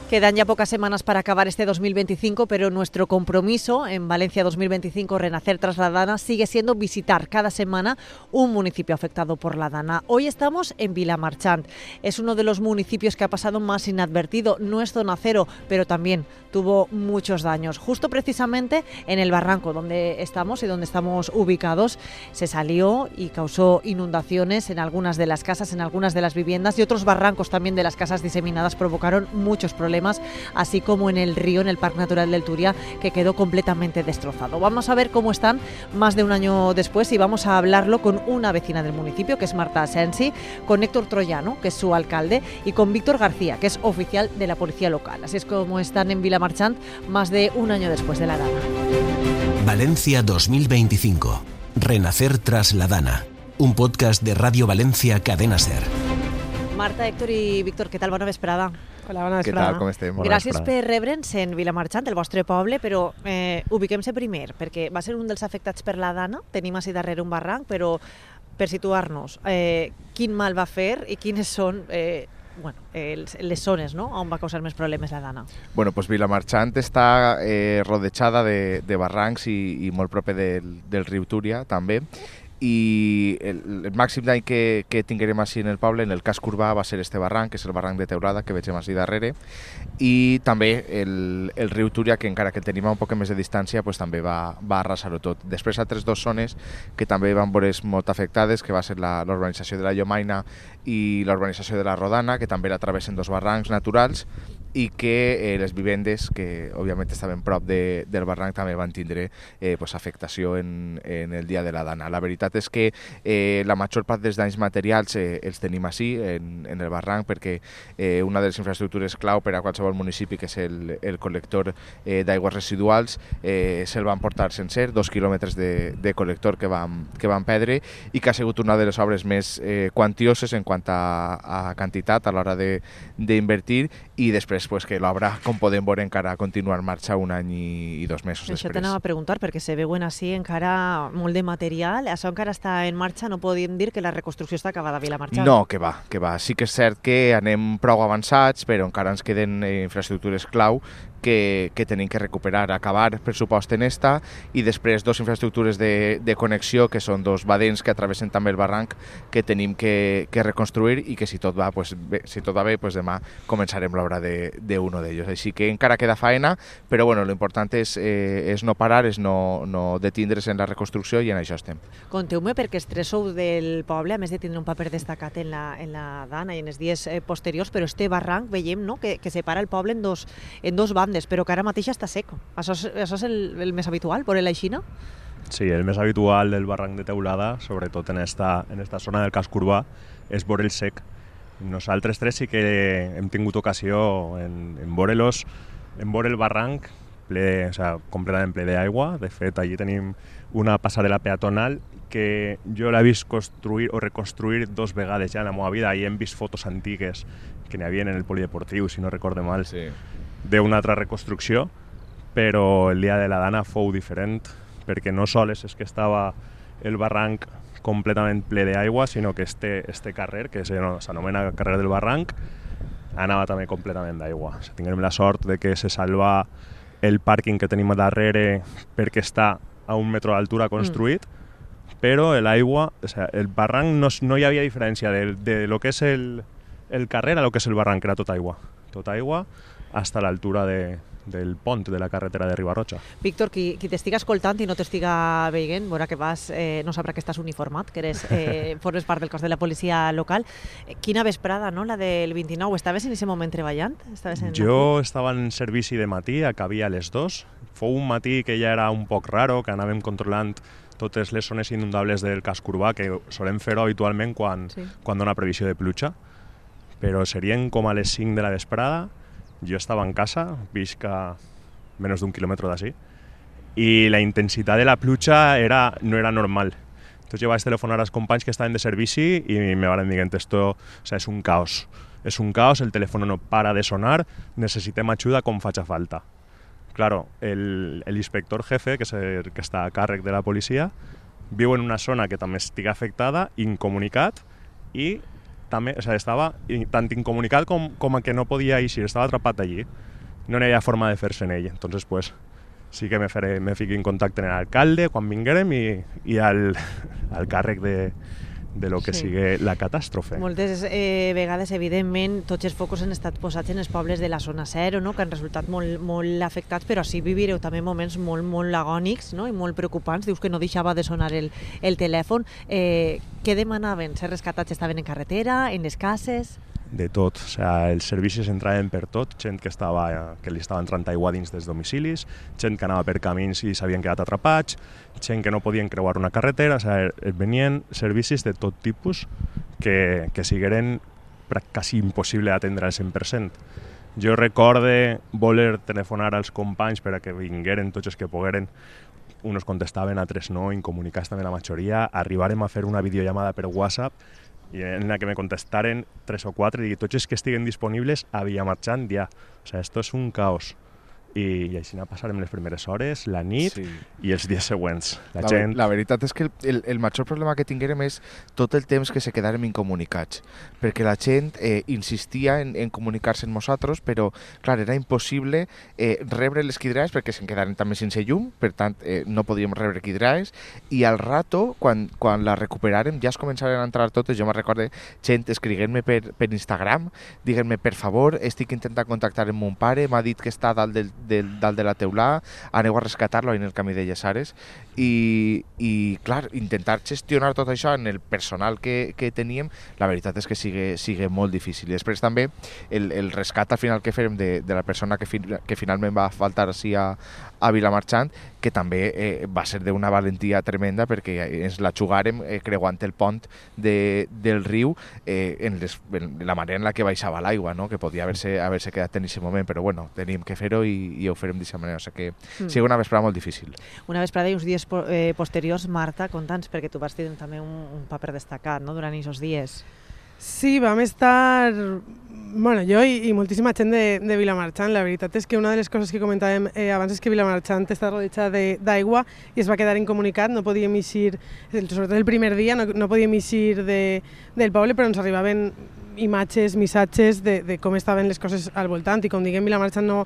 Quedan ya pocas semanas para acabar este 2025, pero nuestro compromiso en Valencia 2025 Renacer tras la Dana sigue siendo visitar cada semana un municipio afectado por la Dana. Hoy estamos en Vilamarchant. Es uno de los municipios que ha pasado más inadvertido. No es zona cero, pero también tuvo muchos daños. Justo precisamente en el barranco donde estamos y donde estamos ubicados, se salió y causó inundaciones en algunas de las casas, en algunas de las viviendas, y otros barrancos también de las casas diseminadas provocaron muchos problemas, así como en el río, en el Parque Natural del Turia, que quedó completamente destrozado. Vamos a ver cómo están más de un año después y vamos a hablarlo con una vecina del municipio, que es Marta Asensi, con Héctor Troyano, que es su alcalde, y con Víctor García, que es oficial de la policía local. Así es como están en Vilamarchant más de un año después de la Dana. Valencia 2025. Renacer tras la Dana. Un podcast de Radio Valencia Cadena Ser. Marta, Héctor i Víctor, què tal? Bona vesprada. Hola, bona vesprada. Què tal, com estem? Gràcies per rebre'ns en Vilamarchant, el vostre poble, però ubiquem-se primer, perquè va ser un dels afectats per la Dana. Tenim així darrere un barranc, però per situar-nos, quin mal va fer i quines són les zones, no?, on va causar més problemes la Dana. Bueno, pues Vilamarchant està rodejada de barrancs i molt proper del riu Túria, també. I el màxim dany que tinguérem així en el poble, en el casc urbà, va ser este barranc, que és el barranc de Teulada, que vegem així darrere, i també el riu Túria, que encara que el tenim a un poc més de distància, pues, també va arrasar-ho tot. Després altres dues zones que també van veure molt afectades, que va ser l'urbanització de la Llomaina i l'urbanització de la Rodana, que també la travessen dos barrancs naturals, i que les vivendes, que òbviament estaven prop del barranc, també van tindre afectació en el dia de la Dana. La veritat és que la major part dels danys materials els tenim així, en el barranc, perquè una de les infraestructures clau per a qualsevol municipi, que és el col·lector d'aigües residuals, se'l van portar sencer, 2 quilòmetres de col·lector que van perdre, i que ha sigut una de les obres més quantioses en quant a quantitat a l'hora d'invertir, i després que l'obra, com podem veure, encara continua en marxa un any i 2 mesos després. Això t'anava a preguntar, perquè se veuen així encara molt de material. Això encara està en marxa? No podíem dir que la reconstrucció està acabada a Vilamarchant? No, que va. Sí que és cert que anem prou avançats, però encara ens queden infraestructures clau que tenim que recuperar, acabar per supost en esta, i després dos infraestructures de connexió, que són dos badens que travessen també el barranc, que tenim que reconstruir, i que si tot va bé, demà començarem l'obra d'uno d'ells. Així que encara queda faena, però bueno, l'important és no parar, és no detindre's en la reconstrucció, i en això estem. Conteu-me, perquè els tres sou del poble, a més de tindre un paper destacat en la Dana i en els dies posteriors, però este barranc veiem, no?, que separa el poble en dos bandes, però que ara mateix està seco. Això és el més habitual, por la aixina? Sí, el més habitual del barranc de Teulada, sobretot en esta zona del casc urbà, és veure el sec. Nosaltres tres sí que hem tingut ocasió en veure el barranc completament ple d'aigua. De fet, allí tenim una passarel·la peatonal que jo l'he vist construir o reconstruir 2 vegades ja en la meva vida, i hem vist fotos antigues que n'hi havia en el polideportiu, si no recorde mal, sí, d'una altra reconstrucció, però el dia de la Dana fou diferent, perquè no sols és que estava el barranc completament ple d'aigua, sinó que este carrer, que s'anomena carrer del barranc, anava també completament d'aigua. Tinguem la sort de que se salva el pàrquing que tenim darrere, perquè està a 1 metre d'altura construït, però l'aigua, el barranc no hi havia diferència de lo que és el carrer a lo que és el barranc, era tot aigua hasta l'altura del pont de la carretera de Ribarroja. Víctor, qui t'estiga escoltant i no t'estiga veient, veurà que no sabrà que estàs uniformat, que formes part del cos de la policia local. Quina vesprada, no?, la del 29. Estaves en aquest moment treballant? Jo estava en servici de matí, acabia a les 2. Fou un matí que ja era un poc raro, que anàvem controlant totes les zones inundables del casc urbà, que solem fer-ho habitualment quan dona previsió de pluja, però serien com a les 5 de la vesprada. Jo estava en casa, visc a menys d'1 quilòmetre d'ací, i la intensitat de la pluja no era normal. Entonces jo vaig telefonar als companys que estaven de servici i me van dir que esto és un caos. És un caos, el telèfon no para de sonar, necessitem ajuda com faci falta. Claro, l'inspector jefe, que està a càrrec de la policia, viu en una zona que també estigui afectada, incomunicat, i també, o sea, estava tant incomunicat com a que no podia eixir, estava atrapat allí. No hi havia forma de fer-se en ell. Entonces, pues, sí que me fiqué en contacte amb l'alcalde quan vinguérem i al càrrec de lo que sigui la catàstrofe. Moltes vegades, evidentment, tots els focus han estat posats en els pobles de la zona 0, no? Que han resultat molt afectats, però així vivireu també moments molt agònics, no? I molt preocupants. Dius que no deixava de sonar el telèfon. Què demanaven? Ser rescatats estaven en carretera, en les cases? De tot, o sea, els servicis entraven per tot, gent que li estava entrant aigua dins dels domicilis, gent que anava per camins i s'havien quedat atrapats, gent que no podien creuar una carretera, o sea, venien servicis de tot tipus que sigueren quasi impossible d'atendre al 100%. Jo recorde voler telefonar als companys per a que vingueren tots els que pogueren, uns contestaven, altres no, incomunicats també la majoria, arribarem a fer una videollamada per WhatsApp i en la que me contestaren 3 o 4 i tots els que estiguen disponibles havia marxant ja. O sea, esto es un caos. I així passarem les primeres hores, la nit i els dies següents. La veritat és que el major problema que tinguérem és tot el temps que se quedàrem incomunicats, perquè la gent insistia en comunicar-se amb nosaltres, però clar, era impossible rebre les quidraes perquè se'n quedaren també sense llum, per tant no podíem rebre quidraes, i al rato, quan la recuperàrem, ja es començaren a entrar totes. Jo me recorde gent escriguent-me per Instagram, dient-me, per favor, estic intentant contactar amb mon pare, m'ha dit que està dalt de la teulà, aneu a rescatar-lo en el camí de Llesares, i clar, intentar gestionar tot això en el personal que teníem, la veritat és que sigue molt difícil. I després també el rescat al final que fèrem de la persona que finalment va faltar així a Vilamarxant, que també va ser d'una valentia tremenda, perquè ens la jugàrem creuant el pont del riu en la manera en la que baixava l'aigua, no? Que podia haver-se quedat en aquest moment, però bueno, teníem que fer-ho i ho farem d'aquesta manera. O sigui que sigui una vesprada molt difícil. Una vesprada i uns dies posteriors, Marta, conta'ns, perquè tu vas tenir també un paper destacat, no?, durant aquests dies. Sí, vam estar, bueno, jo i moltíssima gent de Vilamarxant. La veritat és que una de les coses que comentàvem abans és que Vilamarxant està rodejada d'aigua i es va quedar incomunicat, no podíem eixir, sobretot el primer dia, no podíem eixir del poble, però ens arribaven imatges, missatges de com estaven les coses al voltant, i com diguem, Vilamarxant no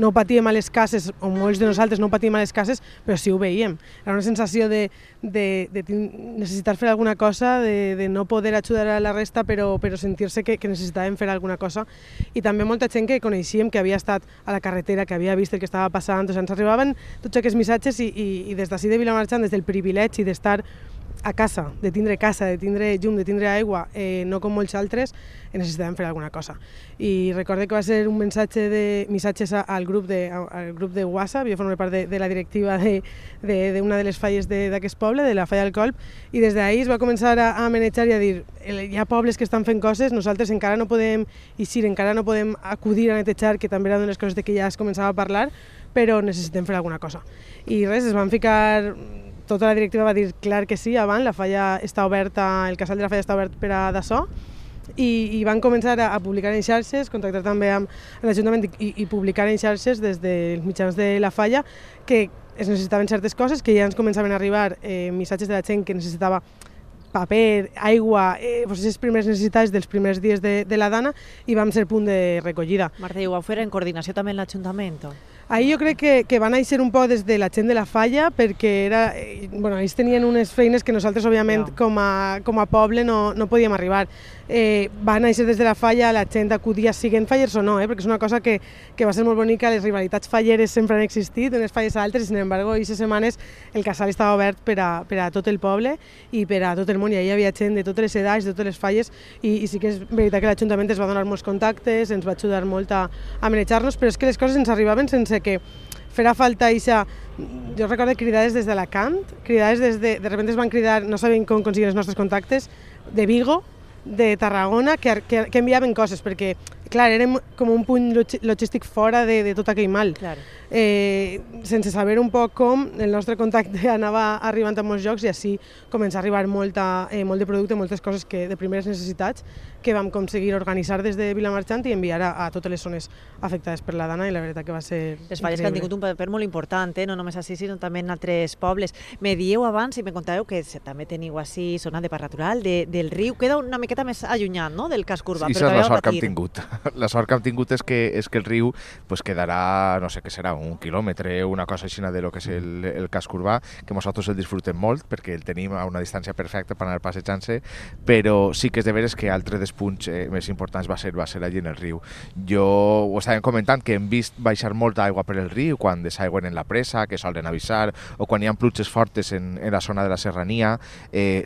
ho patíem a les cases, o molts de nosaltres no ho patíem a les cases, però sí ho veiem. Era una sensació de necessitar fer alguna cosa, de no poder ajudar a la resta, però sentir-se que necessitàvem fer alguna cosa. I també molta gent que coneixíem, que havia estat a la carretera, que havia vist el que estava passant. O sigui, ens arribaven tots aquests missatges i des d'ací de Vilamarxant, des del privilegi d'estar a casa, de tindre llum, de tindre aigua, no com molts altres, necessitàvem fer alguna cosa. I recorde que va ser un missatges al grup de WhatsApp. Jo formo part de la directiva d'una de les falles d'aquest poble, de la falla del Colp, i des d'ahir es va començar a manejar i a dir, hi ha pobles que estan fent coses, nosaltres encara no podem eixir, encara no podem acudir a netejar, que també era una de les coses que ja es començava a parlar, però necessitem fer alguna cosa. I res, es van ficar... Tota la directiva va dir clar que sí, abans la falla està oberta, el casal de la falla està obert per a d'açò, i van començar a publicar en xarxes, contactar també amb l'Ajuntament i publicar en xarxes des dels mitjans de la falla que es necessitaven certes coses, que ja ens començaven a arribar missatges de la gent que necessitava paper, aigua, les primeres necessitats dels primers dies de la Dana, i vam ser punt de recollida. Marta, i ho vau fer en coordinació també amb l'Ajuntament? Ahir jo crec que van néixer un poc des de la gent de la falla, perquè ells tenien unes feines que nosaltres, òbviament, com a poble no podíem arribar. Va néixer des de la falla, la gent acudia, siguent fallers o no, perquè és una cosa que va ser molt bonica. Les rivalitats falleres sempre han existit, unes falles a altres, i sin embargo, aquestes setmanes el casal estava obert per a tot el poble i per a tot el món, i ahir hi havia gent de totes les edats, de totes les falles, i sí que és veritat que l'Ajuntament ens va donar molts contactes, ens va ajudar molt a manejar-nos, però és que les coses ens arribaven sense que farà falta eixa... Jo recordo cridades des d'Alacant, cridades de repente es van cridar, no sabien com aconseguir els nostres contactes, de Vigo, de Tarragona, que enviaven coses, perquè clar, érem com un punt logístic fora de tot aquell mal. Claro. Sense saber un poc com, el nostre contacte anava arribant a molts llocs i així comença a arribar molt de producte, moltes coses de primeres necessitats que vam aconseguir organitzar des de Vilamarxant i enviar a totes les zones afectades per la Dana, i la veritat que va ser Les falles que han tingut un paper molt important, no només així, sinó també en altres pobles. Me dieu abans i me contàveu que també teniu així zona de parc natural, del riu, queda una miqueta més allunyat, no?, del casc urbà. Això és la sort que hem tingut. La sort que hem tingut és que el riu pues, quedarà, no sé què serà, 1 quilòmetre, una cosa així de lo que és el casc urbà, que nosaltres el disfrutem molt perquè el tenim a una distància perfecta per anar passejant-se, però sí que és de veres que altre dels punts més importants va ser allí en el riu. Ho estàvem comentant que hem vist baixar molta aigua per el riu quan desaigüen en la presa, que solen avisar, o quan hi ha pluges fortes en la zona de la serrania,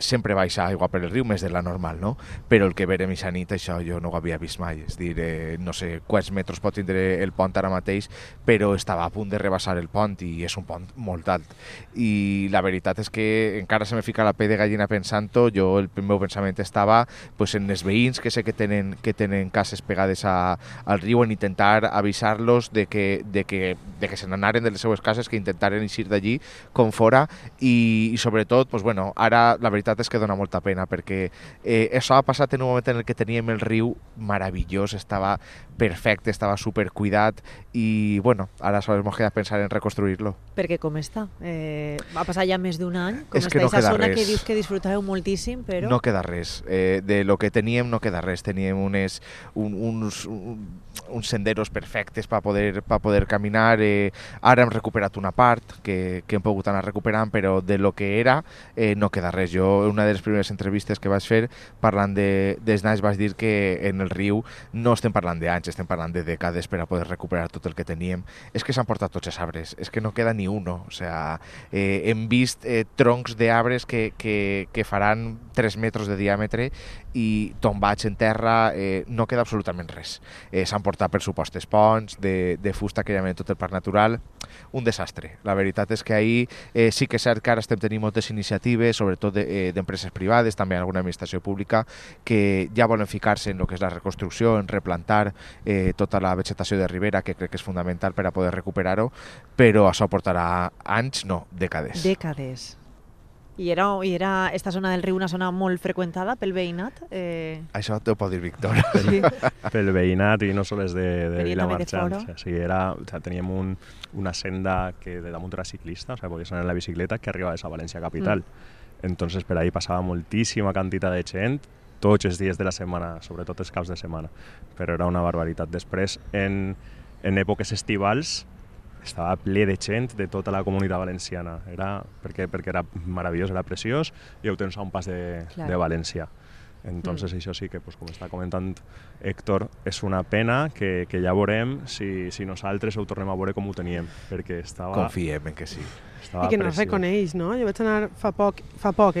sempre baixa aigua per el riu, més de la normal, no? Però el que verem aquesta nit, això jo no ho havia vist mai, és dir, no sé quants metres pot tindre el pont ara mateix, però estava a punt de rebassar el pont i és un pont molt alt. I la veritat és que encara se me fica la pell de gallina pensant-ho. Jo el meu pensament estava pues, en els veïns que sé que tenen cases pegades al riu, en intentar avisar-los de que se n'anaren de les seues cases, que intentaren eixir d'allí com fora, i sobretot, pues, bueno, ara la veritat és que dona molta pena perquè això ha passat en un moment en el que teníem el riu meravellós, estava perfecte, estava supercuidat i bueno, ara sols ens queda pensar en reconstruir-lo. Perquè com està? Va passar ja més d'un any, com és està que no aquesta zona res. que dius que disfrutàveu moltíssim, però... No queda res. De lo que teníem no queda res. Teníem uns senderos perfectes per poder caminar. Ara hem recuperat una part que hem pogut anar recuperant, però de lo que era no queda res. Jo, una de les primeres entrevistes que vaig fer parlant dels anys, vaig dir que en el riu no estem parlant d'anys, estem parlant de dècades per a poder recuperar tot el que teníem. És que s'han portat tots els arbres, és que no queda ni uno. O sea, hem vist troncs d'arbres que faran 3 metres de diàmetre i tombats en terra, no queda absolutament res. S'han portat, per supostes, ponts de fusta que hi ha en tot el parc natural. Un desastre. La veritat és que ahir sí que és cert que ara estem tenint moltes iniciatives, sobretot d'empreses privades, també alguna administració pública, que ja volen ficar-se en el que és la reconstrucció, en replantar tota la vegetació de ribera, que crec que és fundamental per a poder recuperar-ho, però això portarà anys, no, dècades. Dècades. I era esta zona del riu una zona molt freqüentada pel veïnat? Això t'ho pot dir Víctor. Sí. Pel veïnat i no sols de Vilamarxant. de O sigui, teníem una senda que de damunt era ciclista, o sea, podies anar en la bicicleta, que arribava a València capital. Entonces per ahí passava moltíssima quantitat de gent, tots els dies de la setmana, sobretot els caps de setmana, però era una barbaritat. Després, en èpoques estivals, estava ple de gent de tota la comunitat valenciana, perquè era meravellós, era preciós, i ho tens a un pas de València. Entonces això sí que, pues, com està comentant Héctor, és una pena que ja veurem si nosaltres ho tornem a veure com ho teníem, perquè estava... Confiem en que sí. I que no es reconeix, no? Jo vaig anar fa poc,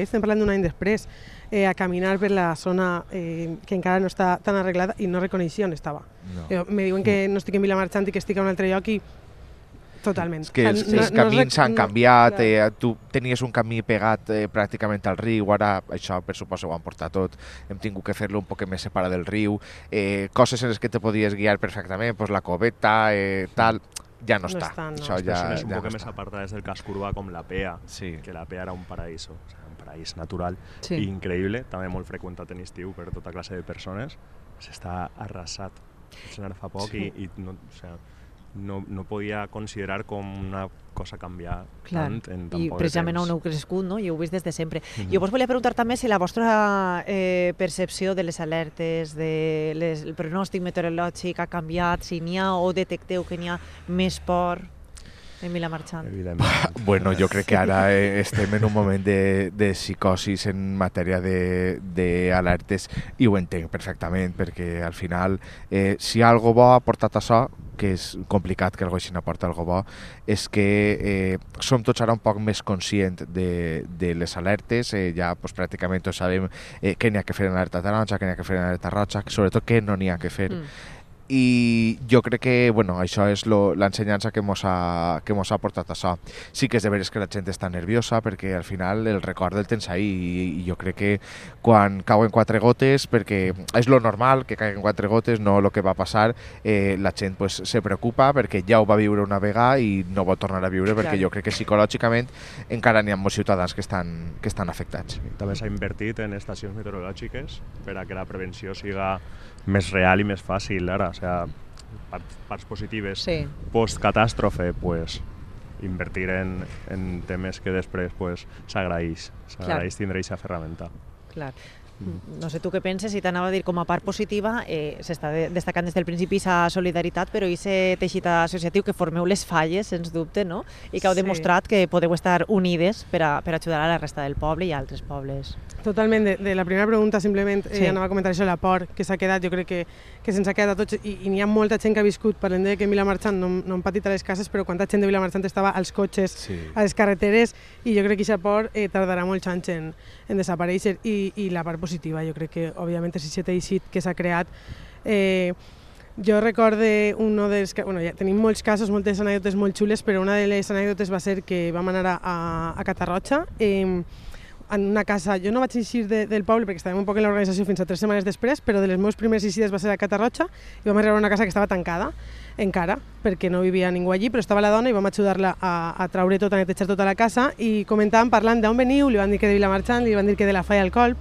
estem parlant d'un any després, a caminar per la zona que encara no està tan arreglada i no reconeixia on estava. No. Me diuen que no estic en Vilamarxant i que estic a un altre lloc i totalment. És que els camins s'han canviat, tu tenies un camí pegat pràcticament al riu, ara això per suposo ho han portat tot, hem tingut que fer-lo un poc més separat del riu, coses en les que te podies guiar perfectament, pues la coveta, tal, ja no està. Això ja és un poc més apartades del casc urbà, com la Pea, que la Pea era un paraíso, o sea, un paraís natural i increïble, també molt freqüentat en estiu per tota classe de persones, s'està arrasat. Vaig anar fa poc i no, o sea, no podia considerar com una cosa canviar tant en tan poc de temps. I precisament on heu crescut, no? I ho heu vist des de sempre. Jo vos volia preguntar també si la vostra percepció de les alertes, el pronòstic meteorològic ha canviat, si n'hi ha o detecteu que n'hi ha més por en Vilamarxant. Bueno, jo crec que ara estem en un moment de psicosis en matèria d'alertes i ho entenc perfectament, perquè al final si algo bo ha portat això, que és complicat que algú així n'aporta algo bo, és que som tots ara un poc més conscients de les alertes, ja pues, pràcticament tots sabem què n'hi ha que fer en alerta taronja, què n'hi ha que fer en alerta roja, sobretot què no n'hi ha que fer. i jo crec que això és l'ensenyança que mos ha portat això. Sí que és de veres que la gent està nerviosa perquè al final el record el tens ahí i jo crec que quan cauen 4 gotes, perquè és lo normal que caiguen 4 gotes, no el que va passar, la gent pues, se preocupa perquè ja ho va viure una vegada i no vol tornar a viure perquè jo crec que psicològicament encara n'hi ha molts ciutadans que estan afectats. També s'ha invertit en estacions meteorològiques per a que la prevenció siga més real i més fàcil ara, o sigui, parts positives post-catàstrofe, pues, invertir en temes que després pues, s'agraeix tindre aquesta ferramenta. Clar. No sé tu què penses, si t'anava a dir com a part positiva, s'està destacant des del principi aquesta solidaritat, però aquest teixit associatiu que formeu les falles, sens dubte, no? I que heu demostrat que podeu estar unides per ajudar a la resta del poble i a altres pobles. Totalment, de la primera pregunta simplement anava a comentar això, la por que s'ha quedat, jo crec que se'ns ha quedat a tots i n'hi ha molta gent que ha viscut, parlem de que en Vilamarxant no han patit a les cases, però quanta gent de Vilamarxant estava als cotxes, a les carreteres, i jo crec que aquesta por tardarà molts anys en desaparèixer i la part positiva, jo crec que òbviament és aquest teixit que s'ha creat. Jo recorde ja tenim molts casos, moltes anècdotes molt xules, però una de les anècdotes va ser que vam anar a Catarroja, en una casa, jo no vaig eixir del poble perquè estàvem un poc en l'organització fins a 3 setmanes després, però de les meves primeres eixides va ser a Catarroja i vam arribar a una casa que estava tancada encara, perquè no vivia ningú allí, però estava la dona i vam ajudar-la a traure tot, a netejar tota la casa i comentàvem, parlant d'on veniu, li van dir que de Vilamarxant, li van dir que de la Falla al Colp,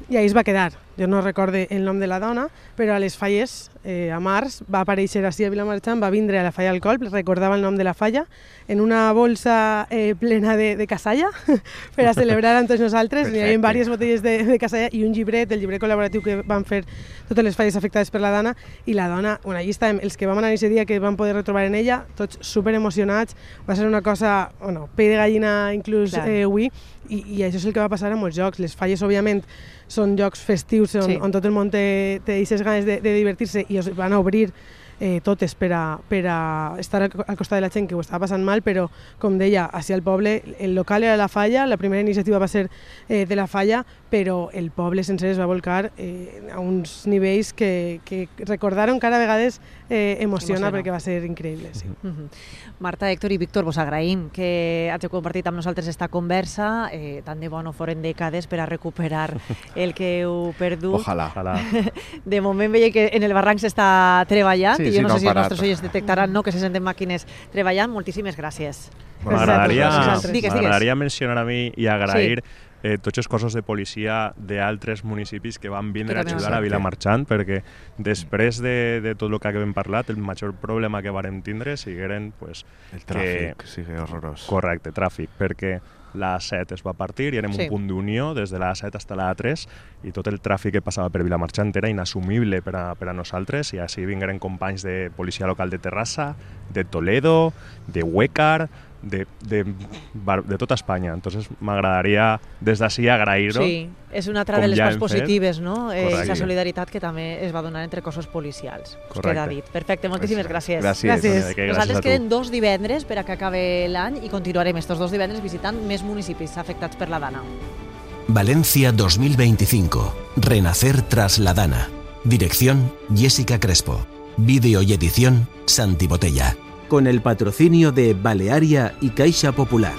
i ahí es va quedar. Jo no recorde el nom de la dona, però a les falles, a març, va aparèixer així a Vilamarxant, va vindre a la Falla al Colp, recordava el nom de la falla, en una bolsa plena de casalla, per a celebrar amb tots nosaltres. Hi havia diverses botelles de casalla i un llibret, el llibret col·laboratiu que van fer totes les falles afectades per la dona, i la dona, allí estàvem, els que vam anar aquest dia, que vam poder retrobar en ella, tots super emocionats, va ser una cosa, pell de gallina inclús avui, i això és el que va passar a molts jocs. Les falles, òbviament, són jocs festius on tot el món té aquestes ganes de divertir-se i es van a obrir totes per a estar al costat de la gent que ho estava passant mal, però, com deia, així al poble, el local era la Falla, la primera iniciativa va ser de la Falla, però el poble sencer es va volcar a uns nivells que recordar encara a vegades emociona perquè va ser increïble. Sí. Marta, Héctor i Víctor, vos agraïm que hàgiu compartit amb nosaltres esta conversa, tant de bo no foren dècades per a recuperar el que heu perdut. Ojalà. De moment veia que en el barranc s'està treballant, i jo no sé si els nostres oients detectaran que se senten màquines treballant. Moltíssimes gràcies. M'agradaria mencionar a mi i agrair tots els cossos de policia d'altres municipis que van vindre a ajudar a Vilamarxant, perquè després de tot el que hem parlat, el major problema que vàrem tindre sigueren el tràfic, sigui horrorós. Correcte, tràfic, perquè la A7 es va partir i érem un punt d'unió des de la A7 fins a la A3 i tot el tràfic que passava per Vilamarxant era inassumible per a nosaltres, i així vingueren companys de policia local de Terrassa, de Toledo, de Huécar, de tota Espanya. Entonces m'agradaria des d'ací agrair-ho. Sí, és una altra de les parts positives, no? Aquesta solidaritat que també es va donar entre cossos policials. Us queda dit. Perfecte, moltíssimes gràcies. Gràcies. Nosaltres queden 2 divendres per a que acabe l'any i continuarem estos 2 divendres visitant més municipis afectats per la Dana. Valencia 2025. Renacer tras la Dana. Dirección: Jessica Crespo. Vídeo y edición: Santi Botella. Con el patrocinio de Balearia y Caixa Popular.